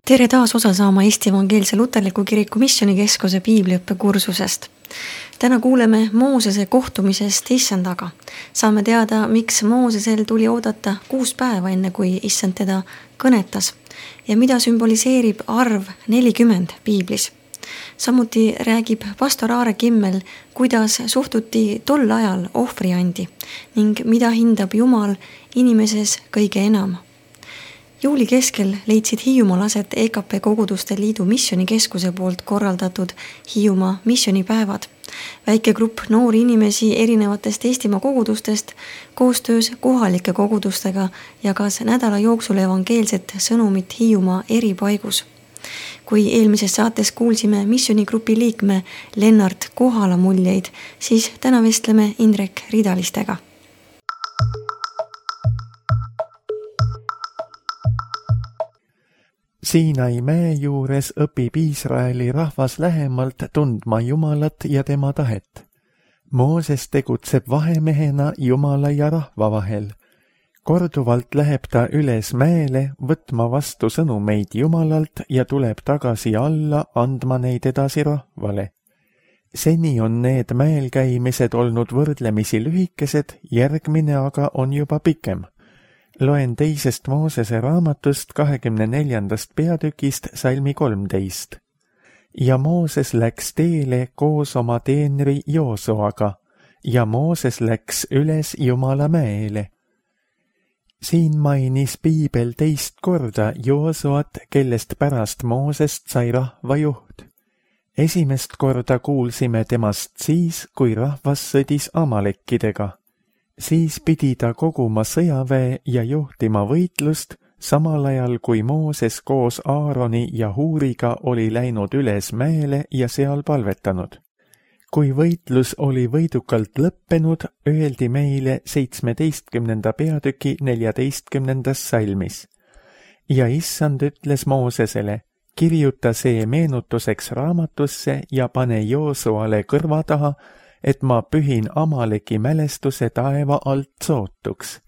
Tere taas osa saama Eesti Evangeelse Luterliku Kiriku Missioonikeskuse piibliõppekursusest. Täna kuuleme Moosese kohtumisest Issandaga. Saame teada, miks Moosesel tuli oodata 6 päeva enne, kui Issand teda kõnetas ja mida sümboliseerib arv 40 piiblis. Samuti räägib pastor Aare Kimmel, kuidas suhtuti tol ajal ohvriandi ning mida hindab Jumal inimeses kõige enam. Juuli keskel leidsid Hiiumaal aset EKP Koguduste Liidu Missioonikeskuse poolt korraldatud Hiiumaa missionipäevad. Väike grupp noori inimesi erinevatest Eestimaa kogudustest koostöös kohalike kogudustega jagas nädala jooksul evangeelset sõnumit Hiiumaa eri paigus. Kui eelmises saates kuulsime missioonigrupi liikme Lennart Kohala muljeid, siis täna vestleme Indrek Ridalistega. Siinai mäe juures õpib Iisraeli rahvas lähemalt tundma Jumalat ja tema tahet. Mooses tegutseb vahemehena Jumala ja rahva vahel. Korduvalt läheb ta üles mäele võtma vastu sõnumeid Jumalalt ja tuleb tagasi alla andma neid edasi rahvale. Seni on need mäel käimised olnud võrdlemisi lühikesed, järgmine aga on juba pikem. Loen 2. Moosese raamatust 24. peatükist salmi 13. Ja Mooses läks teele koos oma teenri Joosuaga ja Mooses läks üles Jumala mäele. Siin mainis piibel 2 korda Joosuat, kellest pärast Moosest sai rahva juht. Esimest korda kuulsime temast siis, kui rahvas sõdis Amalekkidega. Siis pidi ta koguma sõjaväe ja juhtima võitlust, samal ajal kui Mooses koos Aaroni ja Huuriga oli läinud üles mäele ja seal palvetanud. Kui võitlus oli võidukalt lõppenud, öeldi meile 17. peatüki 14. salmis. Ja Issand ütles Moosesele, kirjuta see meenutuseks raamatusse ja pane Joosuale kõrva taha, et ma pühin Amaleki mälestuse taeva alt sootuks.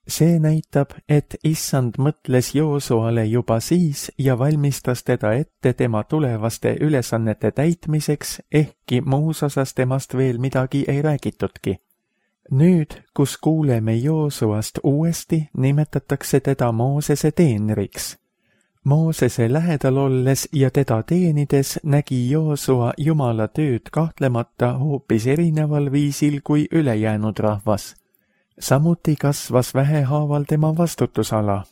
See näitab, et Issand mõtles Joosuale juba siis ja valmistas teda ette tema tulevaste ülesannete täitmiseks, ehkki muus osas temast veel midagi ei räägitudki. Nüüd, kus kuuleme Joosuast uuesti, nimetatakse teda Moosese teenriks. Moosese lähedal olles ja teda teenides nägi Joosua Jumala tööd kahtlemata hoopis erineval viisil kui ülejäänud rahvas. Samuti kasvas vähehaaval tema vastutusala.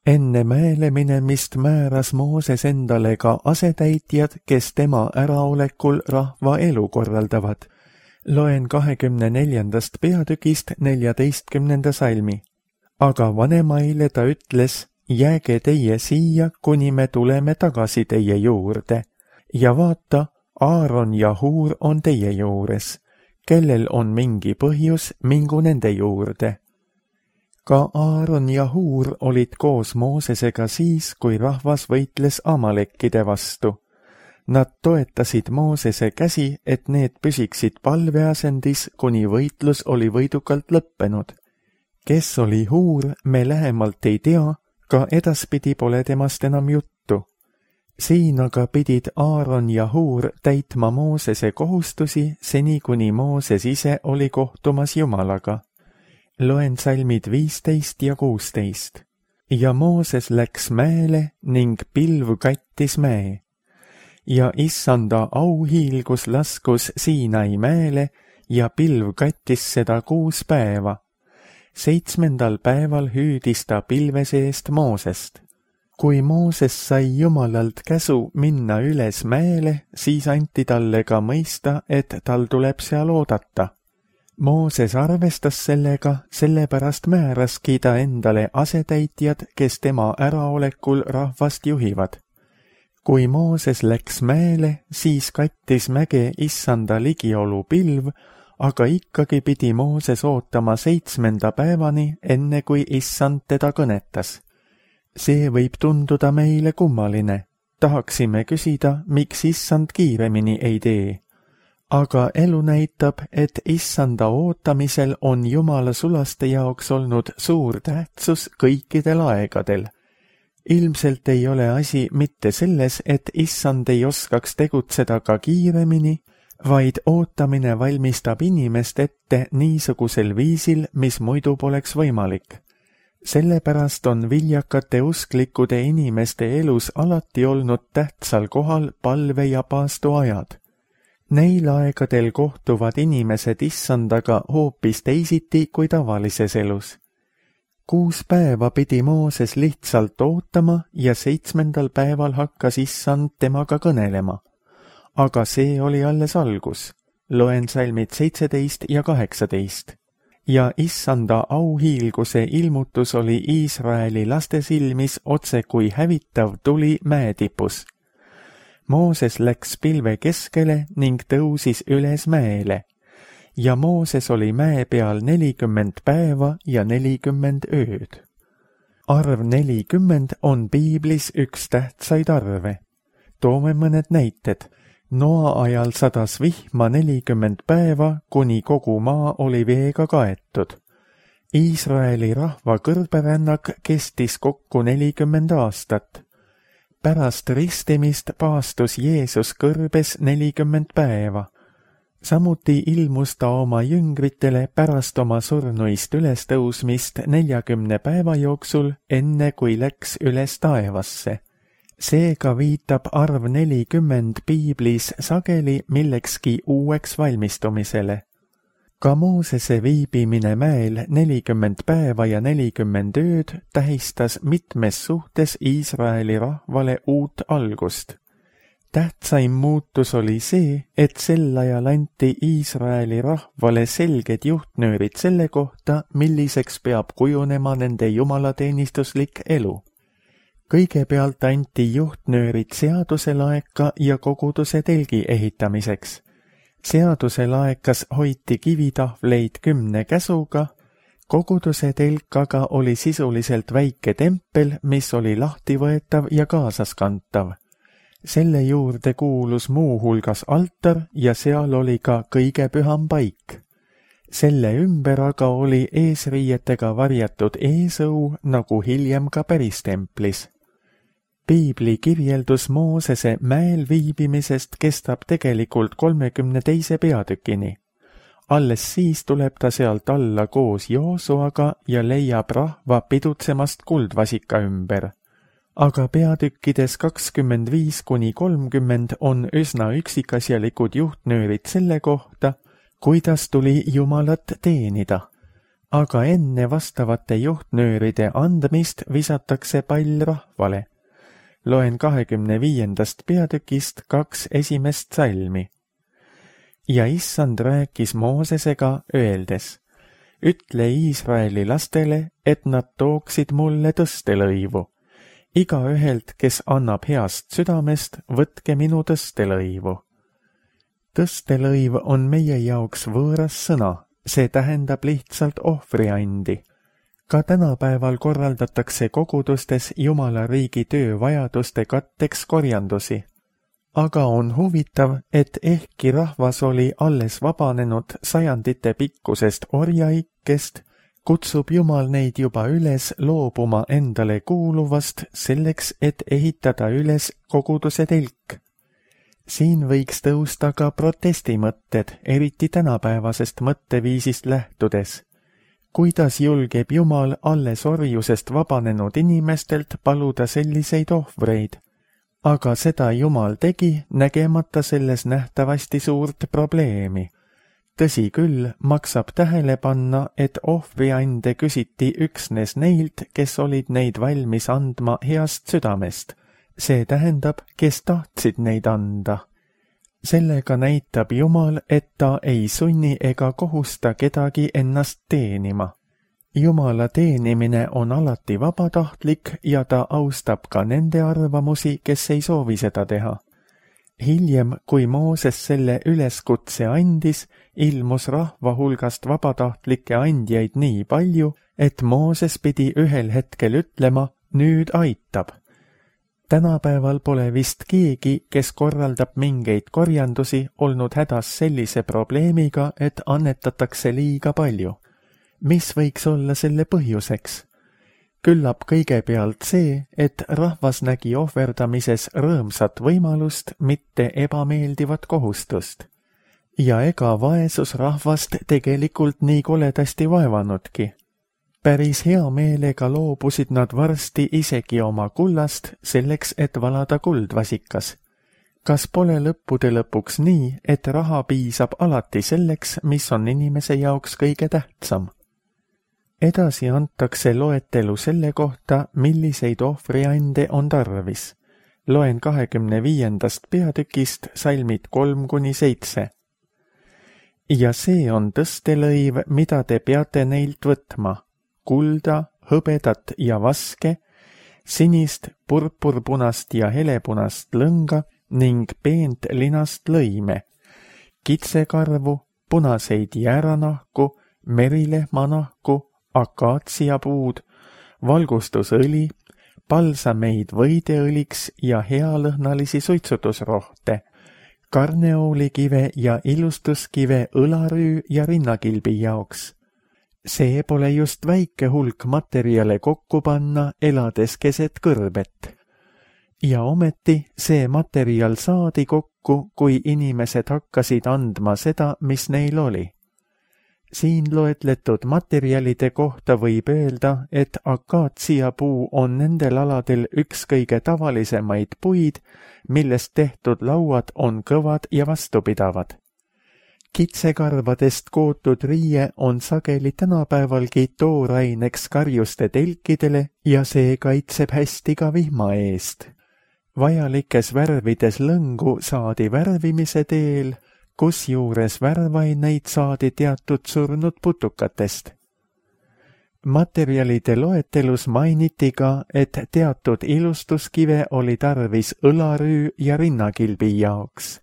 Enne mäele minemist määras Mooses endale ka asetäitjad, kes tema äraolekul rahva elu korraldavad. Loen 24. peatükist 14. salmi. Aga vanemaile ta ütles, jääge teie siia, kuni me tuleme tagasi teie juurde. Ja vaata, Aaron ja Huur on teie juures. Kellel on mingi põhjus, mingu nende juurde. Ka Aaron ja Huur olid koos Moosesega siis, kui rahvas võitles Amalekkide vastu. Nad toetasid Moosese käsi, et need püsiksid palveasendis, kuni võitlus oli võidukalt lõppenud. Kes oli Huur, me lähemalt ei tea, ka edaspidi pole temast enam juttu. Siin aga pidid Aaron ja Huur täitma Moosese kohustusi, seni kuni Mooses ise oli kohtumas Jumalaga. Loen salmid 15 ja 16. Ja Mooses läks mäele ning pilv kattis mäe. Ja Issanda auhiilgus laskus Siinai mäele ja pilv kattis seda 6 päeva. 7. päeval hüüdis ta pilve seest Moosest. Kui Mooses sai Jumalalt käsu minna üles mäele, siis anti talle ka mõista, et tal tuleb seal oodata. Mooses arvestas sellega, sellepärast määraski ta endale asetäitjad, kes tema äraolekul rahvast juhivad. Kui Mooses läks mäele, siis kattis mäge Issanda ligiolu pilv, aga ikkagi pidi Mooses ootama 7. päevani, enne kui Issand teda kõnetas. See võib tunduda meile kummaline. Tahaksime küsida, miks Issand kiiremini ei tee. Aga elu näitab, et Issanda ootamisel on Jumala sulaste jaoks olnud suur tähtsus kõikidel aegadel. Ilmselt ei ole asi mitte selles, et issand ei oskaks tegutseda ka kiiremini, vaid ootamine valmistab inimest ette niisugusel viisil, mis muidu poleks võimalik. Sellepärast on viljakate usklikude inimeste elus alati olnud tähtsal kohal palve- ja paastuajad. Neil aegadel kohtuvad inimesed issandaga hoopis teisiti kui tavalises elus. 6 päeva pidi Mooses lihtsalt ootama ja 7. päeval hakkas issand temaga kõnelema. Aga see oli alles algus. Loen salmid 17 ja 18. Ja issanda auhiilguse ilmutus oli Iisraeli laste silmis otse kui hävitav tuli mäetipus. Mooses läks pilve keskele ning tõusis üles mäele. Ja Mooses oli mäe peal 40 päeva ja 40 ööd. Arv 40 on piiblis üks tähtsaid arve. Toome mõned näited. Noa ajal sadas vihma 40 päeva, kuni kogu maa oli veega kaetud. Iisraeli rahva kõrberännak kestis kokku 40 aastat. Pärast ristimist paastus Jeesus kõrbes 40 päeva. Samuti ilmus ta oma jüngritele pärast oma surnuist ülestõusmist 40 päeva jooksul, enne kui läks üles taevasse. Seega viitab arv 40 piiblis sageli millekski uueks valmistumisele. Ka Moosese viibimine mäel 40 päeva ja 40 ööd tähistas mitmes suhtes Iisraeli rahvale uut algust. Tähtsaim muutus oli see, et sel ajal anti Iisraeli rahvale selged juhtnöörid selle kohta, milliseks peab kujunema nende jumalateenistuslik elu. Kõigepealt anti juhtnöörid seaduse laeka ja koguduse telgi ehitamiseks. Seaduse laekas hoiti kivitahvleid 10 käsuga, koguduse telk aga oli sisuliselt väike tempel, mis oli lahtivõetav ja kaasaskantav. Selle juurde kuulus muuhulgas altar ja seal oli ka kõige püham paik. Selle ümber aga oli eesriietega varjatud eesõu, nagu hiljem ka päristemplis. Piibli kirjeldus Moosese mäel viibimisest kestab tegelikult 32. peatükini. Alles siis tuleb ta sealt alla koos Joosuaga ja leiab rahva pidutsemast kuldvasika ümber. Aga peatükkides 25–30 on üsna üksikasjalikud juhtnöörid selle kohta, kuidas tuli Jumalat teenida. Aga enne vastavate juhtnööride andmist visatakse pall rahvale. Loen 25. peatükist 2 esimest salmi. Ja issand rääkis Moosesega öeldes, ütle Iisraeli lastele, et nad tooksid mulle tõstelõivu. Igaühelt, kes annab heast südamest, võtke minu tõstelõivu. Tõstelõiv on meie jaoks võõras sõna, see tähendab lihtsalt ohvriandi. Ka tänapäeval korraldatakse kogudustes Jumala riigi töövajaduste katteks korjandusi. Aga on huvitav, et ehkki rahvas oli alles vabanenud sajandite pikkusest orjaikkest, kutsub Jumal neid juba üles loobuma endale kuuluvast selleks, et ehitada üles koguduse telk. Siin võiks tõusta ka protestimõtted, eriti tänapäevasest mõtteviisist lähtudes. Kuidas julgeb Jumal alles orjusest vabanenud inimestelt paluda selliseid ohvreid? Aga seda Jumal tegi, nägemata selles nähtavasti suurt probleemi. Tõsi küll, maksab tähele panna, et ohvriande küsiti üksnes neilt, kes olid neid valmis andma heast südamest. See tähendab, kes tahtsid neid anda. Sellega näitab Jumal, et ta ei sunni ega kohusta kedagi ennast teenima. Jumala teenimine on alati vabatahtlik ja ta austab ka nende arvamusi, kes ei soovi seda teha. Hiljem, kui Mooses selle üleskutse andis, ilmus rahva hulgast vabatahtlikke andjaid nii palju, et Mooses pidi ühel hetkel ütlema, nüüd aitab. Tänapäeval pole vist keegi, kes korraldab mingeid korjandusi, olnud hädas sellise probleemiga, et annetatakse liiga palju. Mis võiks olla selle põhjuseks? Küllap kõigepealt see, et rahvas nägi ohverdamises rõõmsat võimalust, mitte ebameeldivat kohustust. Ja ega vaesus rahvast tegelikult nii koledasti vaevanudki. Päris hea meelega loobusid nad varsti isegi oma kullast selleks, et valada kuldvasikas. Kas pole lõppude lõpuks nii, et raha piisab alati selleks, mis on inimese jaoks kõige tähtsam? Edasi antakse loetelu selle kohta, milliseid ohvriande on tarvis. Loen 25. peatükist salmid 3-7. Ja see on tõstelõiv, mida te peate neilt võtma. Kulda, hõbedat ja vaske, sinist, purpurpunast ja helepunast lõnga ning peent linast lõime, kitsekarvu, punaseid jääranahku, merilehmanahku, akaatsiapuud, valgustusõli, palsameid võideõliks ja healõhnalisi suitsutusrohte, karneoolikive ja ilustuskive õlarüü ja rinnakilbi jaoks. See pole just väike hulk materjale kokku panna, elades keset kõrbet. Ja ometi see materjal saadi kokku, kui inimesed hakkasid andma seda, mis neil oli. Siin loetletud materjalide kohta võib öelda, et akaatsiapuu on nendel aladel üks kõige tavalisemaid puid, millest tehtud lauad on kõvad ja vastupidavad. Kitsekarvadest kootud riie on sageli tänapäevalgi tooraineks karjuste telkidele ja see kaitseb hästi ka vihma eest. Vajalikes värvides lõngu saadi värvimise teel, kusjuures värvaineid saadi teatud surnud putukatest. Materjalide loetelus mainiti ka, et teatud ilustuskive oli tarvis õlarüü ja rinnakilbi jaoks.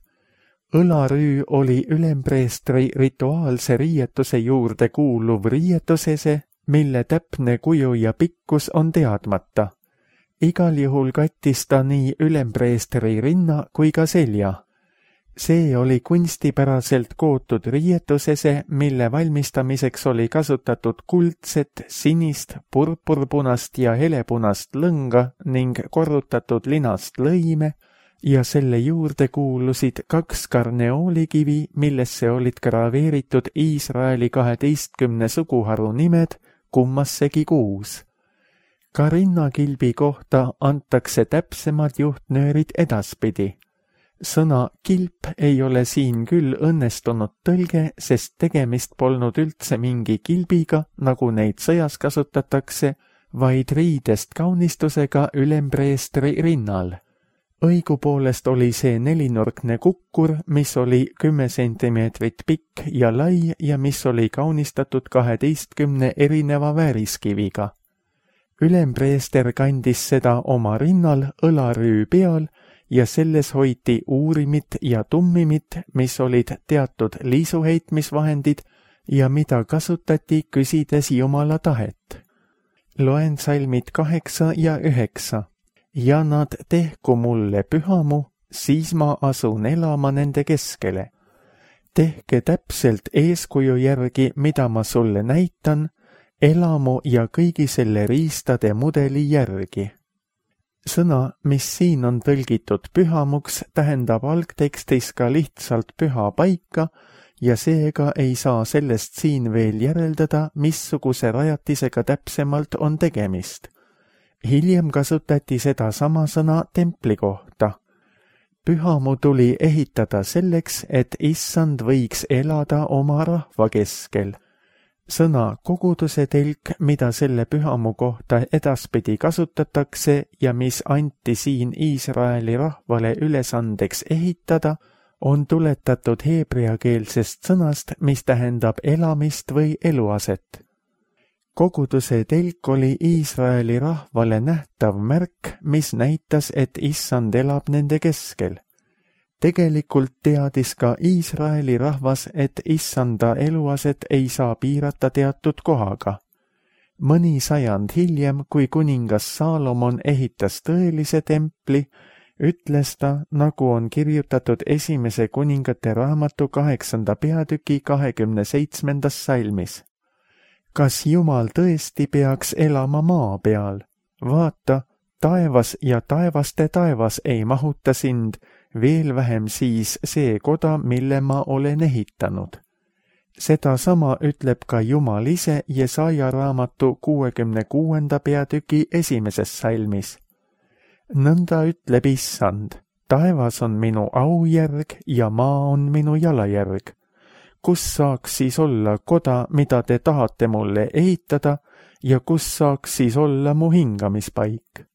Õlarüü oli ülempreestri rituaalse riietuse juurde kuuluv riietusese, mille täpne kuju ja pikkus on teadmata. Igal juhul kattis ta nii ülempreestri rinna kui ka selja. See oli kunstipäraselt kootud riietusese, mille valmistamiseks oli kasutatud kuldset, sinist, purpurpunast ja helepunast lõnga ning korrutatud linast lõime ja selle juurde kuulusid 2 karneoolikivi, millesse olid graveeritud Iisraeli 12 suguharu nimed, kummassegi 6. Ka rinnakilbi kohta antakse täpsemad juhtnöörid edaspidi. Sõna kilp ei ole siin küll õnnestunud tõlge, sest tegemist polnud üldse mingi kilbiga, nagu neid sõjas kasutatakse, vaid riidest kaunistusega ülempreestri rinnal. Õigupoolest oli see 4-nurkne kukkur, mis oli 10 sentimeetrit pikk ja lai ja mis oli kaunistatud 12 erineva vääriskiviga. Ülempreester kandis seda oma rinnal õlarüü peal ja selles hoiti uurimit ja tummimit, mis olid teatud liisuheitmisvahendid ja mida kasutati küsides Jumala tahet. Loen salmid 8 ja 9. Ja nad tehku mulle pühamu, siis ma asun elama nende keskele. Tehke täpselt eeskuju järgi, mida ma sulle näitan, elamu ja kõigi selle riistade mudeli järgi. Sõna, mis siin on tõlgitud pühamuks, tähendab algtekstis ka lihtsalt püha paika ja seega ei saa sellest siin veel järeldada, missuguse rajatisega täpsemalt on tegemist. Hiljem kasutati seda sama sõna templi kohta. Pühamu tuli ehitada selleks, et issand võiks elada oma rahva keskel. Sõna koguduse telk, mida selle pühamu kohta edaspidi kasutatakse ja mis anti siin Iisraeli rahvale ülesandeks ehitada, on tuletatud heebreakeelsest sõnast, mis tähendab elamist või eluaset. Koguduse telk oli Iisraeli rahvale nähtav märk, mis näitas, et issand elab nende keskel. Tegelikult teadis ka Iisraeli rahvas, et issanda eluaset ei saa piirata teatud kohaga. Mõni sajand hiljem, kui kuningas Saalomon ehitas tõelise templi, ütles ta, nagu on kirjutatud esimese kuningate raamatu 8. peatüki 27. salmis. kas Jumal tõesti peaks elama maa peal? Vaata, taevas ja taevaste taevas ei mahuta sind, veel vähem siis see koda, mille ma olen ehitanud. Sedasama ütleb ka Jumal ise Jesaja raamatu 66. peatüki 1. salmis. Nõnda ütleb Issand, taevas on minu aujärg ja maa on minu jalajärg. Kus saaks siis olla koda, mida te tahate mulle ehitada, ja kus saaks siis olla mu hingamispaik?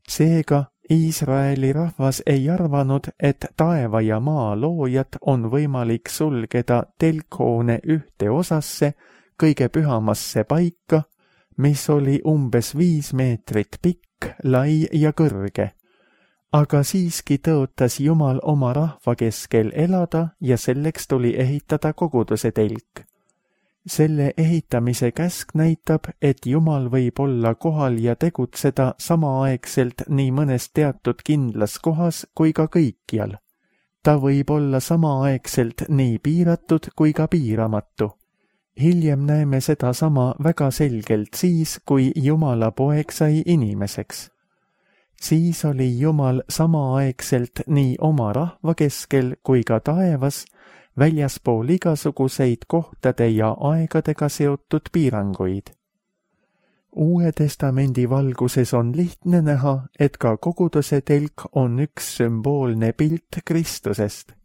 Seega Iisraeli rahvas ei arvanud, et taeva ja maa loojat on võimalik sulgeda telkhoone ühte osasse, kõige pühamasse paika, mis oli umbes 5 meetrit pikk, lai ja kõrge. Aga siiski tõotas Jumal oma rahva keskel elada ja selleks tuli ehitada koguduse telk. Selle ehitamise käsk näitab, et Jumal võib olla kohal ja tegutseda samaaegselt nii mõnes teatud kindlas kohas kui ka kõikjal. Ta võib olla samaaegselt nii piiratud kui ka piiramatu. Hiljem näeme sedasama väga selgelt siis, kui Jumala poeg sai inimeseks. Siis oli Jumal samaaegselt nii oma rahva keskel kui ka taevas, väljaspool igasuguseid kohtade ja aegadega seotud piiranguid. Uue testamendi valguses on lihtne näha, et ka koguduse telk on üks sümboolne pilt Kristusest.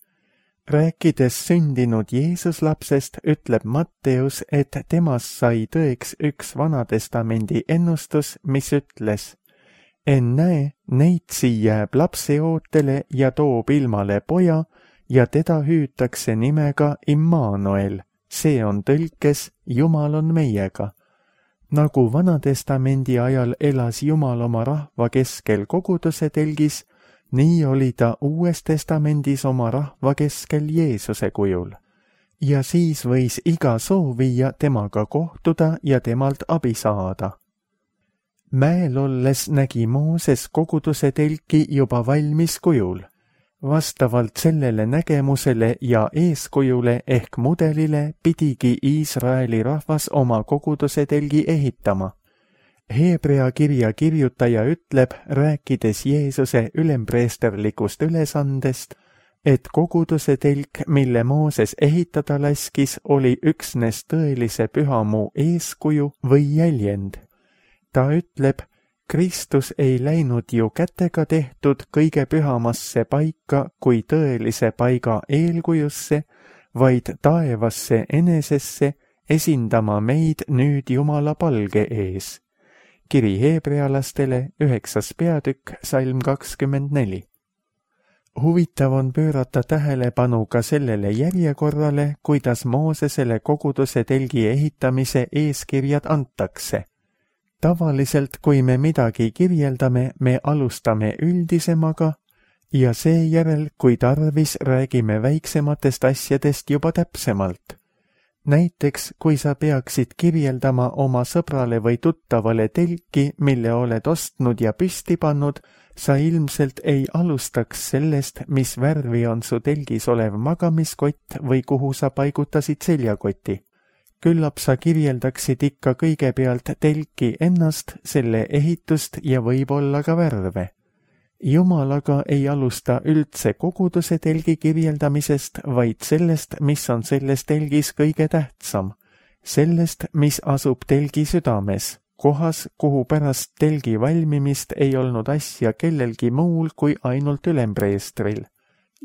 Rääkides sündinud Jeesuslapsest, ütleb Matteus, et temast sai tõeks üks Vanatestamendi ennustus, mis ütles: ennäe, neitsi jääb lapse ootele ja toob ilmale poja, ja teda hüütakse nimega Immanuel, see on tõlkes Jumal on meiega. Nagu Vanatestamendi ajal elas Jumal oma rahva keskel koguduse telgis, nii oli ta Uues testamendis oma rahva keskel Jeesuse kujul. Ja siis võis iga soovija temaga kohtuda ja temalt abi saada. Mäel olles nägi Mooses koguduse telki juba valmis kujul. Vastavalt sellele nägemusele ja eeskujule ehk mudelile pidigi Iisraeli rahvas oma koguduse telgi ehitama. Heebrea kirja kirjutaja ütleb, rääkides Jeesuse ülempreesterlikust ülesandest, et koguduse telk, mille Mooses ehitada laskis, oli üksnes tõelise pühamu eeskuju või jäljend. Ta ütleb, Kristus ei läinud ju kätega tehtud kõige pühamasse paika kui tõelise paiga eelkujusse, vaid taevasse enesesse esindama meid nüüd Jumala palge ees. Kiri heebrealastele 9. peatükk, salm 24. Huvitav on pöörata tähelepanu ka sellele järjekorrale, kuidas Moosesele koguduse telgi ehitamise eeskirjad antakse. Tavaliselt, kui me midagi kirjeldame, me alustame üldisemaga ja seejärel, kui tarvis, räägime väiksematest asjadest juba täpsemalt. Näiteks, kui sa peaksid kirjeldama oma sõbrale või tuttavale telki, mille oled ostnud ja püsti pannud, sa ilmselt ei alustaks sellest, mis värvi on su telgis olev magamiskott või kuhu sa paigutasid seljakoti. Küllap sa kirjeldaksid ikka kõigepealt telki ennast, selle ehitust ja võib-olla ka värve. Jumal aga ei alusta üldse koguduse telgi kirjeldamisest, vaid sellest, mis on selles telgis kõige tähtsam. Sellest, mis asub telgi südames, kohas, kuhu pärast telgi valmimist ei olnud asja kellelgi muul kui ainult ülempreestril.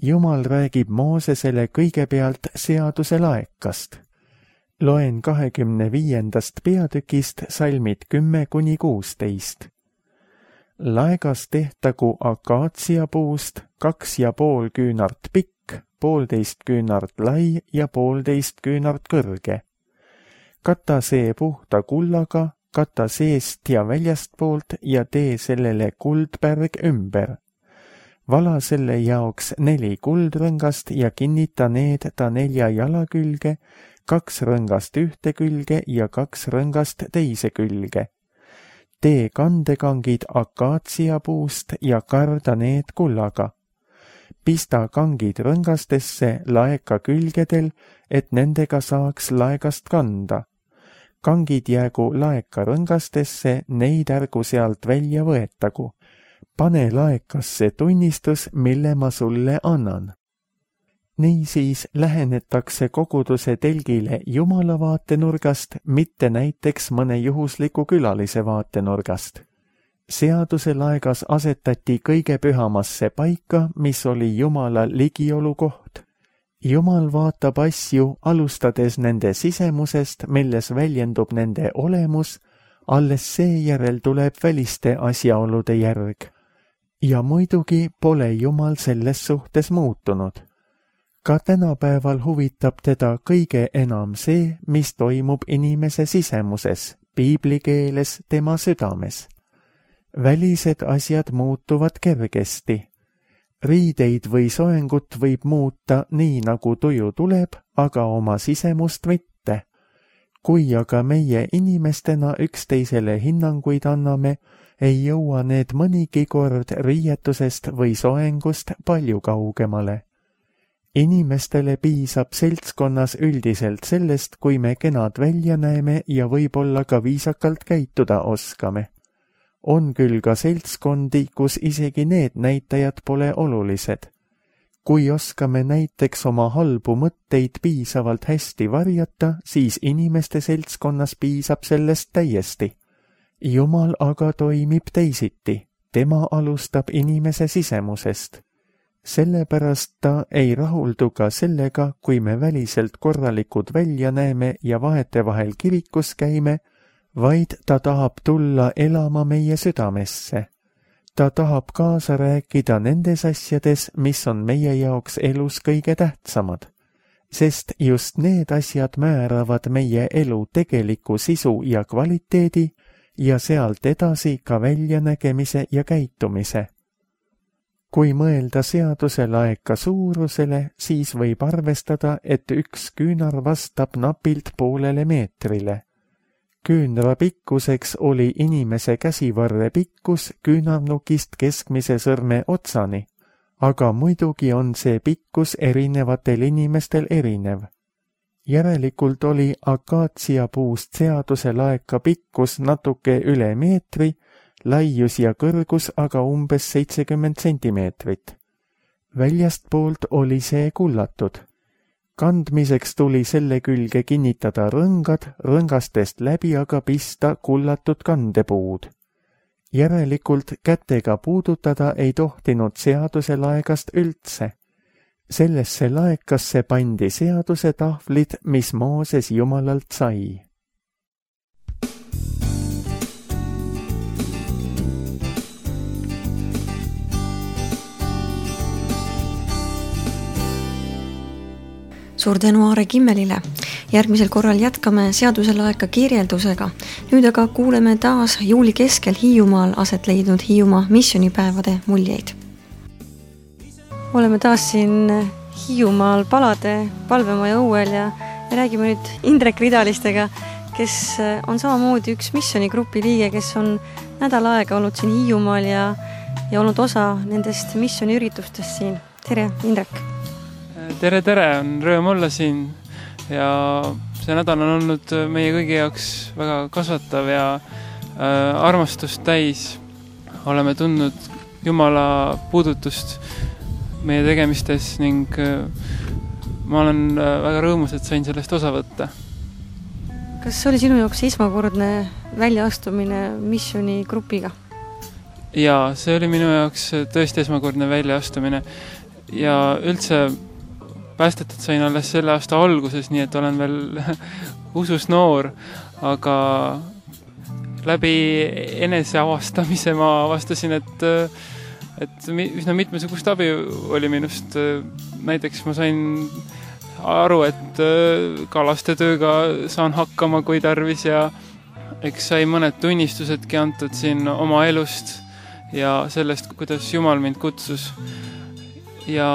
Jumal räägib Moosesele kõigepealt seaduse laekast. Loen 25. peatükist salmid 10–16. Laegas tehtagu akaatsiapuust 2,5 küünart pikk, 1,5 küünart lai ja 1,5 küünart kõrge. Kata see puhta kullaga, kata seest ja väljastpoolt ja tee sellele kuldpärg ümber. Vala selle jaoks 4 kuldrõngast ja kinnita need ta 4 jala külge, 2 rõngast ühte külge ja 2 rõngast teise külge. Tee kandekangid akaatsiapuust ja karda need kullaga. Pista kangid rõngastesse laeka külgedel, et nendega saaks laegast kanda. kangid jäägu laeka rõngastesse, neid ärgu sealt välja võetagu. Pane laekasse tunnistus, mille ma sulle annan. Niisiis lähenetakse koguduse telgile Jumala vaatenurgast, mitte näiteks mõne juhusliku külalise vaatenurgast. Seaduse laegas asetati kõige pühamasse paika, mis oli Jumala ligiolu koht. Jumal vaatab asju, alustades nende sisemusest, milles väljendub nende olemus, alles seejärel tuleb väliste asjaolude järg. Ja muidugi pole Jumal selles suhtes muutunud. Ka tänapäeval huvitab teda kõige enam see, mis toimub inimese sisemuses, piiblikeeles tema südames. Välised asjad muutuvad kergesti. Riideid või soengut võib muuta nii, nagu tuju tuleb, aga oma sisemust mitte. Kui aga meie inimestena üksteisele hinnanguid anname, ei jõua need mõnigi kord riietusest või soengust palju kaugemale. Inimestele piisab seltskonnas üldiselt sellest, kui me kenad välja näeme ja võib-olla ka viisakalt käituda oskame. On küll ka seltskondi, kus isegi need näitajad pole olulised. Kui oskame näiteks oma halbu mõtteid piisavalt hästi varjata, siis inimeste seltskonnas piisab sellest täiesti. Jumal aga toimib teisiti, tema alustab inimese sisemusest. Sellepärast ta ei rahuldu ka sellega, kui me väliselt korralikud välja näeme ja vahetevahel kirikus käime, vaid ta tahab tulla elama meie südamesse. Ta tahab kaasa rääkida nendes asjades, mis on meie jaoks elus kõige tähtsamad, sest just need asjad määravad meie elu tegeliku sisu ja kvaliteedi ja sealt edasi ka väljanägemise ja käitumise. Kui mõelda seaduse laeka suurusele, siis võib arvestada, et üks küünar vastab napilt poolele meetrile. Küünra pikkuseks oli inimese käsivarre pikkus küünarnukist keskmise sõrme otsani, aga muidugi on see pikkus erinevatel inimestel erinev. Järelikult oli akaatsiapuust seaduse laeka pikkus natuke üle meetri, laius ja kõrgus aga umbes 70 sentimeetrit. Väljastpoolt oli see kullatud. Kandmiseks tuli selle külge kinnitada rõngad, rõngastest läbi aga pista kullatud kandepuud. Järelikult kätega puudutada ei tohtinud seaduse laegast üldse. Sellesse laekasse pandi seaduse tahvlid, mis Mooses Jumalalt sai. Suur tänu Aare Kimmelile. Järgmisel korral jätkame seaduselaeka kirjeldusega. Nüüd aga kuuleme taas juuli keskel Hiiumaal aset leidnud Hiiumaa missioonipäevade muljeid. Oleme taas siin Hiiumaal palade palvemaja õuel ja räägime nüüd Indrek Ridalistega, kes on samamoodi üks missioonigrupi liige, kes on nädal aega olnud siin Hiiumaal ja olnud osa nendest missiooniüritustest siin. Tere, Indrek! Tere, on rõõm olla siin ja see nädal on olnud meie kõigi jaoks väga kasvatav ja armastust täis. Oleme tundnud Jumala puudutust meie tegemistes ning ma olen väga rõõmus, et sain sellest osa võtta. Kas see oli sinu jaoks esmakordne väljaastumine missioonigrupiga? Jaa, see oli minu jaoks tõesti esmakordne väljaastumine ja üldse päästetud sain alles selle aasta alguses, nii et olen veel usus noor, aga läbi eneseavastamise ma avastasin, et üsna mitmesugust abi oli minust. Näiteks ma sain aru, et ka lastetööga saan hakkama, kui tarvis ja eks sai mõned tunnistusedki antud siin oma elust ja sellest, kuidas Jumal mind kutsus. Ja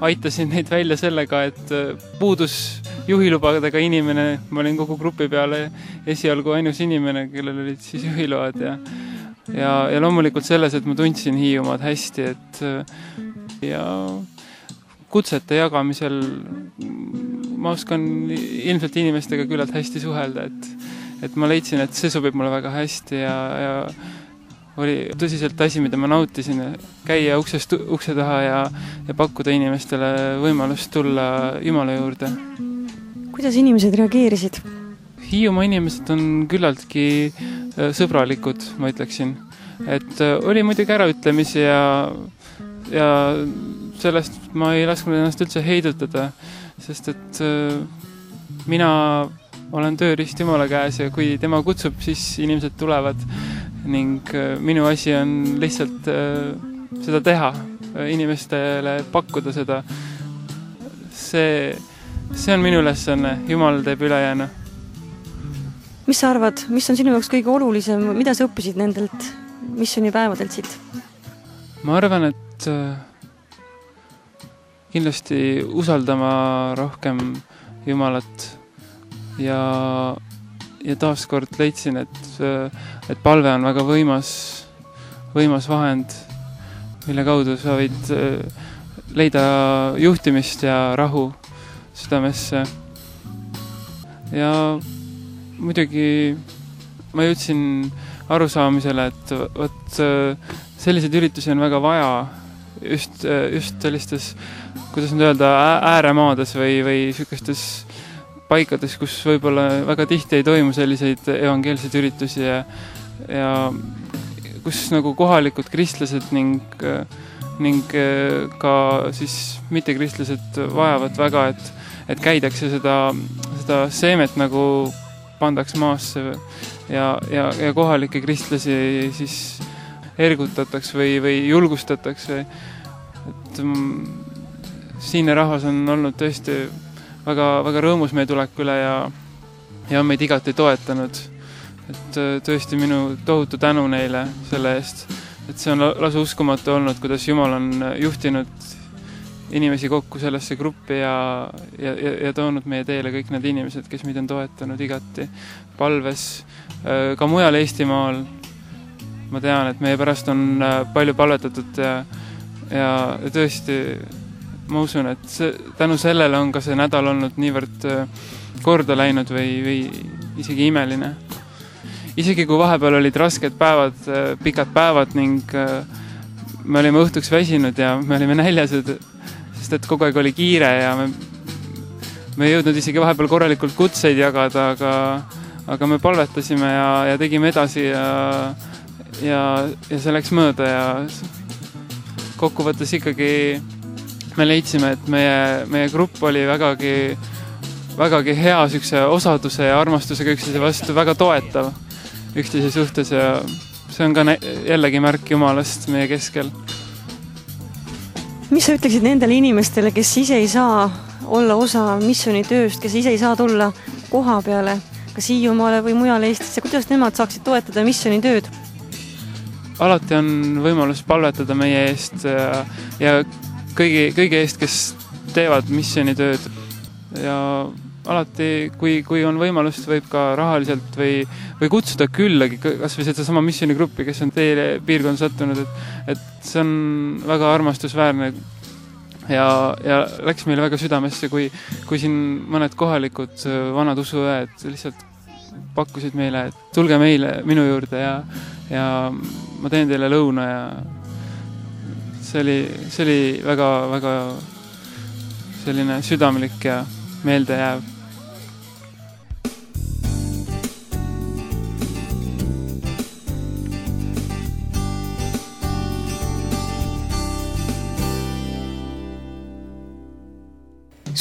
aitasin neid välja sellega, et puudus juhilubadega inimene. Ma olin kogu grupi peale esialgu ainus inimene, kellel olid siis juhiload ja loomulikult selles, et ma tundsin Hiiumaad hästi, ja kutsete jagamisel ma oskan ilmselt inimestega küllalt hästi suhelda, et ma leidsin, et see sobib mulle väga hästi ja oli tõsiselt asi, mida ma nautisin, käia ukse taha ja pakkuda inimestele võimalust tulla Jumala juurde. Kuidas inimesed reageerisid? Hiiumaa inimesed on küllaltki sõbralikud, ma ütleksin. Et oli muidugi äraütlemisi ja sellest ma ei lasknud ennast üldse heidutada, sest et mina olen tööriist Jumala käes ja kui tema kutsub, siis inimesed tulevad ning minu asi on lihtsalt seda teha, inimestele pakkuda seda. See on minu ülesanne, Jumal teeb ülejäänu. Mis sa arvad, mis on sinu jaoks kõige olulisem, mida sa õppisid nendelt missioonipäevadelt siit? Ma arvan, et kindlasti usaldama rohkem Jumalat ja taaskord leidsin, et palve on väga võimas vahend, mille kaudu sa võid leida juhtimist ja rahu südamesse. Ja muidugi ma jõudsin arusaamisele, et selliseid üritusi on väga vaja just sellistes, kuidas nüüd öelda, ääremaades või sükestes paikades, kus võib-olla väga tihti ei toimu selliseid evangeelseid üritusi ja kus nagu kohalikud kristlased ning ka siis mittekristlased vajavad väga, et käidakse seda seemet nagu pandaks maasse ja kohalikke kristlasi siis ergutataks või julgustataks. Et siinne rahvas on olnud tõesti väga, väga rõõmus meie tulek üle ja on meid igati toetanud. Et tõesti minu tohutu tänu neile selle eest, et see on lausa uskumatu olnud, kuidas Jumal on juhtinud inimesi kokku sellesse gruppi ja toonud meie teele kõik need inimesed, kes meid on toetanud igati palves, ka mujal Eestimaal. Ma tean, et meie pärast on palju palvetatud ja tõesti ma usun, et tänu sellele on ka see nädal olnud niivõrd korda läinud või isegi imeline. Isegi kui vahepeal olid rasked päevad, pikad päevad ning me olime õhtuks väsinud ja me olime näljased, sest et kogu aeg oli kiire ja me ei jõudnud isegi vahepeal korralikult kutseid jagada, aga me palvetasime ja tegime edasi ja see läks mööda ja kokkuvõttes ikkagi me leidsime, et meie grupp oli vägagi hea sükse osaduse ja armastusega üksteise vastu, väga toetav üksteise suhtes ja see on ka jällegi märk Jumalast meie keskel. Mis sa ütleksid nendele inimestele, kes ise ei saa olla osa missioonitööst, kes ise ei saa tulla koha peale, kas Hiiumaale või mujale Eestisse, kuidas nemad saaksid toetada missioonitööd? Alati on võimalus palvetada meie eest ja kõigi eest, kes teevad missioonitööd ja alati, kui on võimalust, võib ka rahaliselt või kutsuda küllagi, kas või seda sama missioonigruppi, kes on teile piirkonda sattunud, et see on väga armastusväärne ja läks meile väga südamesse, kui siin mõned kohalikud vanad usuõed lihtsalt pakkusid meile, et tulge minu juurde ja ma teen teile lõuna ja see oli väga, väga selline südamlik ja meeldejääv.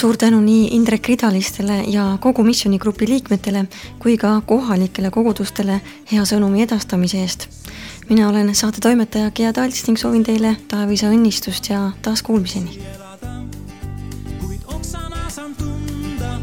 Suur tänu nii Indrek Ridalistele ja kogu missioonigrupi liikmetele kui ka kohalikele kogudustele hea sõnumi edastamise eest. Mina olen saate toimetaja Gea Talts ning soovin teile taevisa õnnistust ja taas kuulmiseni. Kuid oksana saan tunda